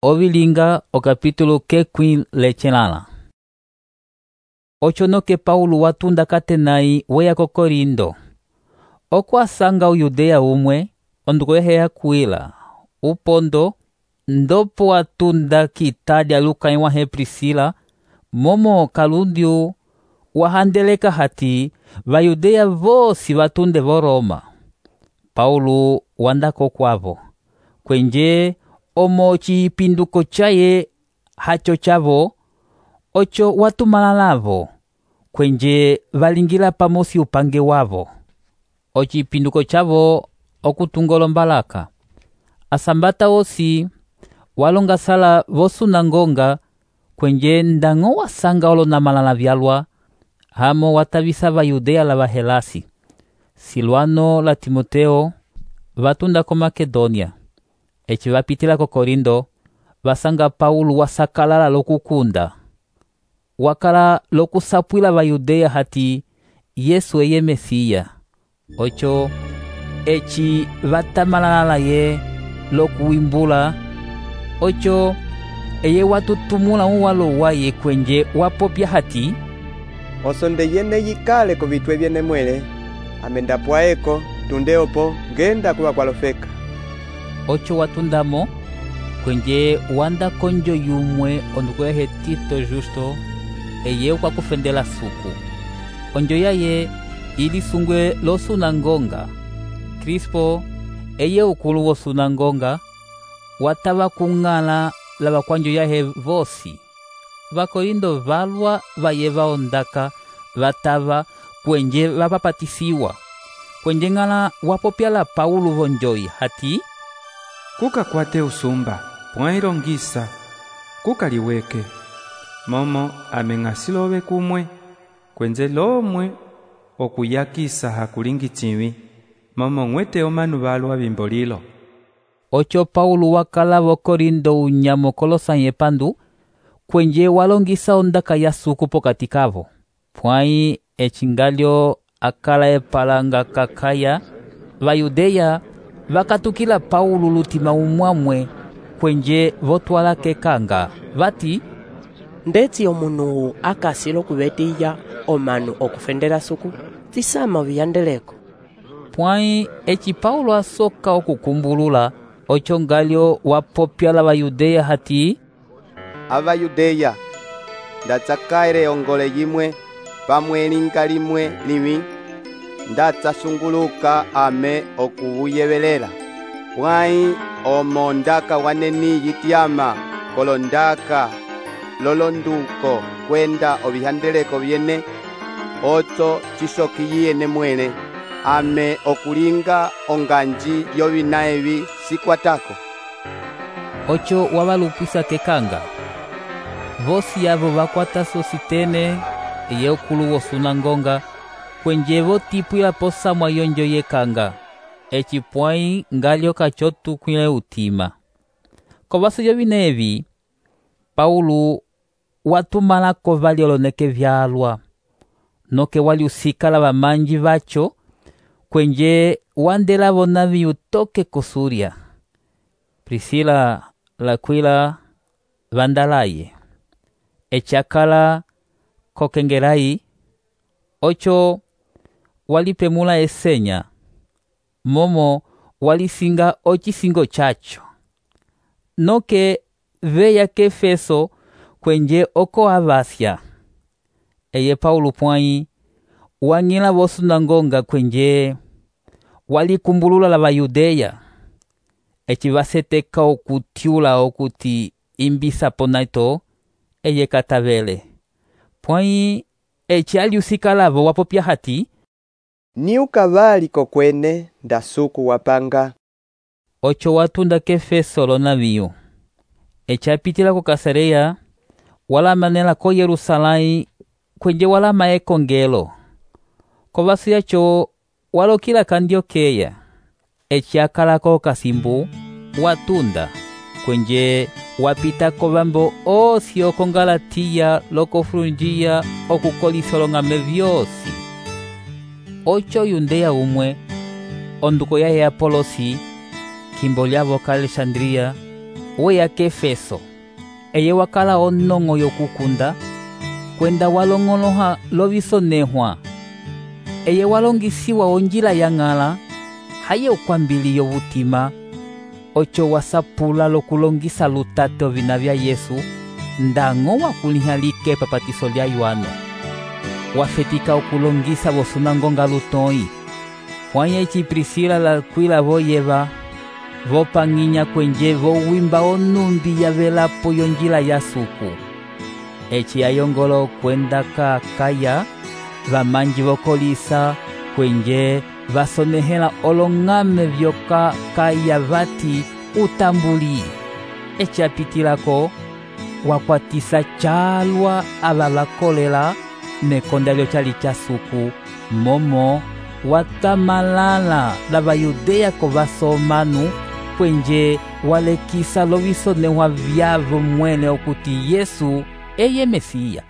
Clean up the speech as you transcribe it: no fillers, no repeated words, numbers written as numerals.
Ovilinga o capítulo kekwin lechelala. Ochonoke Paulo watunda katenai weya ko Korindo. Okwasanga o Yudeya umwe, onduko yeheya kuila. Upondo, ndopo watunda kitalya lukai wahe Priscila, momo kalundiu wahandeleka hati Vayudeya vosi watunde vo Roma. Paulo wandako kwavo. Kwenje omo chipinduko chaye hacho chavo, ocho watumala lavo, kwenje valingila pamosi upange wavo. Ochipinduko chavo okutungolo mbalaka. Asambata osi walonga sala vosunangonga, kwenje ndango wasanga olonamalala vyalwa, hamo watavisa Vayudeya la Vahelasi. Silwano la Timoteo vatunda ko Makedonia. Eci vapitila ko Korindo, vasanga Paulo wasakalala lokukunda. Wakala lokusapwila Vayudeya hati Yesu eye Mesiya. Ocho, eci vatamalala ye lokuimbula. Ocho, eye watutumula uwalo waye kwenje wapopya hati osonde yene yikale ko vitwe vyene mwele, amendapwaeko tundeopo ngenda kuwa kwalofeka. Ocho watundamo, kwenje wanda konjo yumwe onduko yahe Tito Justo, eye kwa kufendela suku. Onjo yaye ili sungwe lo sunangonga. Crispo, eye ukulu wo sunangonga, watava kungala la vakwanjo yahe vosi. Vakorindo valwa vayeva ondaka, vatava kwenje vapapatisiwa. Kwenje ngala wapopyala Paulo vonjoi hati kuka kwate usumba, pwailongisa, kuka liweke. Momo ameng'asilove kumwe, kwenze lomwe okuyakisa hakulingi chiwi, momo ng'wete omanu valwa bimbolilo. Ocho Paulo wakala vo Korindo unyamo kolosanye pandu, kwenje walongisa ondaka ya suku pokati kavo. Pwai echingalyo akala epalanga kakaya, Vayudeya vakatukila Paulo lutima umwamwe, kwenje votwala kekanga. Vati ndeti omunu akasilo kubetiya omanu okufendela suku, tisama viyandeleko. Pwai eci Paulo asoka okukumbulula, ocho ngalyo wapopyala Vayudeya hati Avayudeya, ndatsakaire ongole yimwe, pamwe linga limwe liwi, ndatsasunguluka ame okuvuyevelela. Pwai omo ndaka waneni yityama kolondaka lolonduko kwenda ovihandeleko vyene, oto chisokiyiyene mwele, ame okulinga onganji yovina evi sikwatako. Ocho wavalupisa kekanga. Vosi yavo vakwata sositene, eye ukulu wo sunangonga, kwenje votipwila posamwa yonjo yekanga. Eci pwai ngalyo kachotu kwile utima. Kovaso yovine evi, Paulo watumalako vali oloneke vyalwa. Noke wali usikala vamanji vacho, kwenje wandela vonavi utoke kosuria. Priscila lakwila vandalaye. Echakala kokengerai. Ocho walipemula esenya. Momo walisinga ochisingo chacho. Noke veya kefeso kwenje oko avasya. Eye Paulo pwai wangila vosunangonga kwenje walikumbulula la Vayudeya. Eci vaseteka okutiula okuti imbisa ponaito, eye katavele. Pwai eci aliusikalavo wapopya hati ni ukavali kokwene ndasuku wapanga. Ocho watunda kefeso lonaviyo. Eci apitila ko Kasareya, wala manela ko Yerusalai, kwenje wala maeko ngelo. Kovaso yacho walokila Kandiokeya. Eci akala ko kasimbu, watunda, kwenje wapita kovambo osi oko Galatiya loko Frungiya okukolisolongame vyosi. Ocho Yudeya umwe, onduko yahe Apolosi, kimbo lyavo ka Alexandria, weya k'Efeso, eye wakala onong'o yokukunda, kwenda walong'oloha lovisonehwa. Eye walongisiwa onjila yang'ala, haye ukwambili yovutima, ocho wasapula lokulongisa lutate ovina vya Yesu, ndang'o wakuliha likepa patiso lya Yohano. Wafetika okulongisa vosunangonga lutoi, hwanya eci Prisila la Akwila voyeva, vopang'inya kwenje vowimba onumbi yavelapo yonjila ya suku. Eci ayongola okwenda ka Akaya, vamanji vokolisa kwenje vasonehela olong'ame vyoka Akaya vati utambuli. Eci apitilako wakwatisa calwa ava vakolela mekonda lyochali cha suku, momo watamalala la Vayudeya ko vasomanu, kwenje walekisa lovisonehwa vyavo mwene okuti Yesu eye Mesiya.